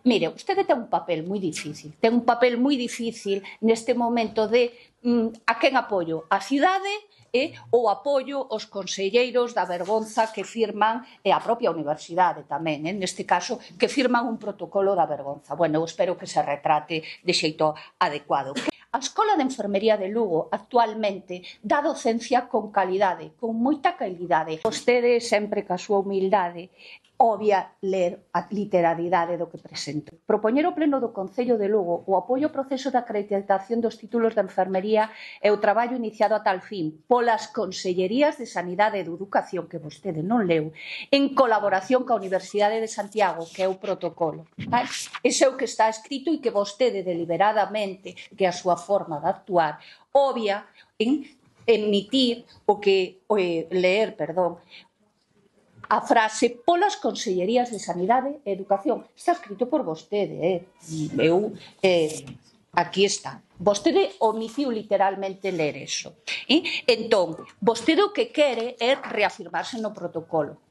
Mire, vostede ten un papel moi difícil. Ten un papel moi difícil neste momento de a quen apoio? A cidade ou apoio aos conselleiros da vergonza que firman a propia universidade tamén, neste caso, que firman un protocolo da vergonza. Bueno, eu espero que se retrate de xeito adecuado. A Escola de Enfermería de Lugo actualmente dá docencia con calidade, con moita calidade. Vostede, sempre ca súa humildade, obvia ler a literalidade do que presento. Propoñer ao Pleno do Concello de Lugo o apoio ao proceso de acreditación dos títulos de enfermería e o traballo iniciado a tal fin polas Consellerías de Sanidade e de Educación, que vostede non leu, en colaboración coa Universidade de Santiago, que é o protocolo. Ese é o que está escrito e que vostede deliberadamente, que é a súa forma de actuar, obvia en emitir a frase polas Consellerías de Sanidade e Educación. Está escrito por vostede, aquí está. Vostede omitiu literalmente ler eso. Entón, vostede o que quere é reafirmarse no protocolo.